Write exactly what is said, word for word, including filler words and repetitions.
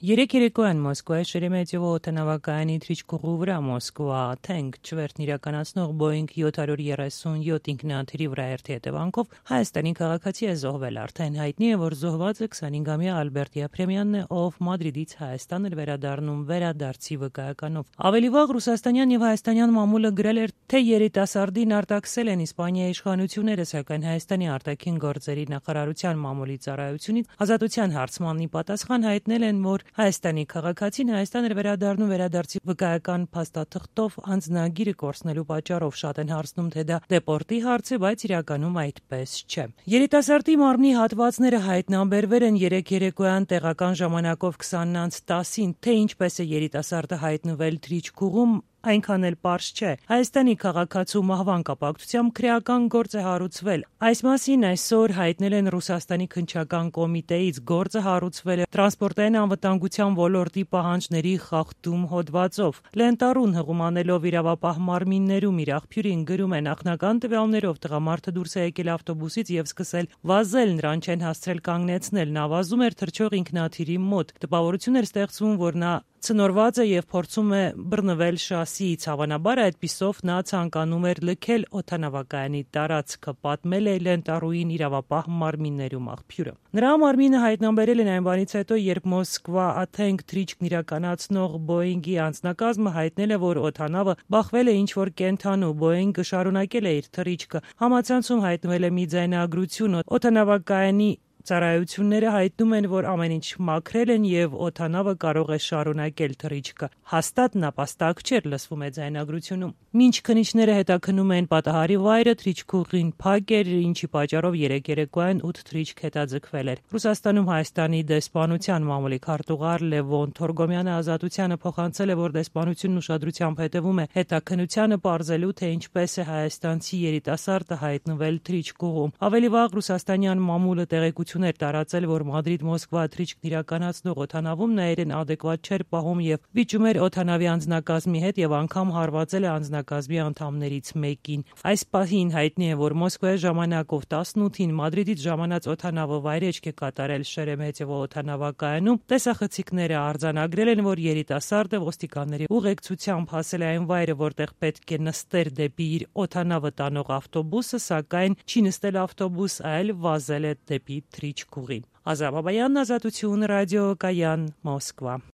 Երեք երեկոյան Մոսկվայի Շերեմետյևո օդանավակայանի թռիչքուղու վրա Մոսկվա Թենք չվերթն իրականացնող Boeing seven thirty-seven ինքնաթիռի վրայերթի հետևանքով Հայաստանի քաղաքացի է զոհվել։ Արդեն հայտնի է, որ զոհվածը twenty-five-ամյա Ալբերտ Եփրեմյանն է, ով Մադրիդից Հայաստան էր վերադառնում վերադարձի վկայականով։ Ավելի վաղ ռուսաստանյան եւ հայաստանյան մամուլը գրել էր, թե երիտասարդին արտաքսել են Իսպանիայի իշխանությունները, սակայն Հայաստանի արտաքին գործերի նախարարության մամուլի ծառայությունից ազատության հարցմանի պատասխան հայտնել են, որ Հայաստանի քաղաքացին Հայաստան էր վերադառնում վերադարձի վկայական փաստաթղթով անձնագիրը կորցնելու պատճառով շատ են հարցնում, թե դա դեպորտի հարց է, բայց իրականում այդպես չէ։ Երիտասարդի մարմնի հատվածները հայտնաբերվել են երեք երեկոյան տեղական ժամանակով twenty-ը ten-ին, թե ինչպես է երիտասարդը հայտնվել թռիչքուղում, այնքան էլ պարզ չէ։ Հայաստանի քաղաքացու մահվան կապակցությամբ քրեական գործ է հարուցվել։ Այս մասին այսօր հայտնել են Ռուսաստանի քննչական կոմիտեից։ Գործը հարուցվել է տրանսպորտային անվտանգության ոլորտի պահանջների խախտում հոդվածով։ Լենտարուն հղումանելով իրավապահ մարմիններում իր աղբյուրին գրում է, նախնական տվյալներով տղամարդը դուրս է եկել ավտոբուսից եւ սկսել վազել, նրան չեն հասցրել կանգնեցնել, նա վազում էր թռչող ինքնաթիռի մոտ։ Տպավորություն էր ստեղծվում, որ նա ցնորված է եւ փորձում է բռնվել շասիից։ Հավանաբար այդպիսով նա ցանկանում էր լքել օդանավակայանի տարածքը, պատմել է Լենտարուին իրավապահ մարմիններում աղբյուրը։ Նրա մարմինը հայտնաբերել են այն բանից հետո, երբ Մոսկվա Թենք թռիչքն իրականացնող Boeing-ի անձնակազմը հայտնել է, որ օդանավը բախվել է ինչ-որ կենդանու։ Boeing-ը շարունակել է իր թռիչքը։ Համացանցում հայտնվել է մի ձայնագրություն։ Օդանավակայանի ծառայությունները հայտնում են, որ ամեն ինչ մաքրել են եւ օդանավը կարող է շարունակել թռիչքը։ Հաստատ նապաստակ չէր, լսվում է ձայնագրությունում։ Մինչ քննիչները հետաքննում են պատահարի վայրը, թռիչքուղին փակ էր, ինչի պատճառով երեք երեկոյան eight թռիչք հետաձգվել էր։ Ռուսաստանում Հայաստանի դեսպանության մամուլի քարտուղար Լևոն Թորգոմյանը ազատությանը փոխանցել է, որ դեսպանությունն ուշադրությամբ հետևում է հետաքննությանը, պարզելու, թե ինչպես է հայաստանցի երիտասարդը հայտնվել թռիչքուղում։ Ավելի վաղ ռուսաստանյան մամուլը տեղեկություն էր տարածել, որ Մադրիդ-Մոսկվա թռիչքն իրականացնող օդանավում նայերեն adekvat չէր պահում եւ վիճում էր օդանավի անձնակազմի հետ եւ անգամ հարվածել է անձնակազմի անդամներից մեկին։ Այս պահին հայտնի է, որ Մոսկվայի ժամանակով eighteen-ին Մադրիդից ժամանած օդանավը վայրեջք է կատարել Շերեմետյևո օդանավակայանում։ Տեսախցիկները արձանագրել են, որ երիտասարդը ոստիկանների ուղեկցությամբ հասել է այն վայրը, որտեղ պետք է նստեր դեպի իր օդանավը տանող ավտոբուսը, սակայն չի նստել ավտոբուս, այլ վազել է դեպի թռիչքուղի։ Ազատ Բաբայան, Ազատություն, ռադիո Կայան, Մոսկվա։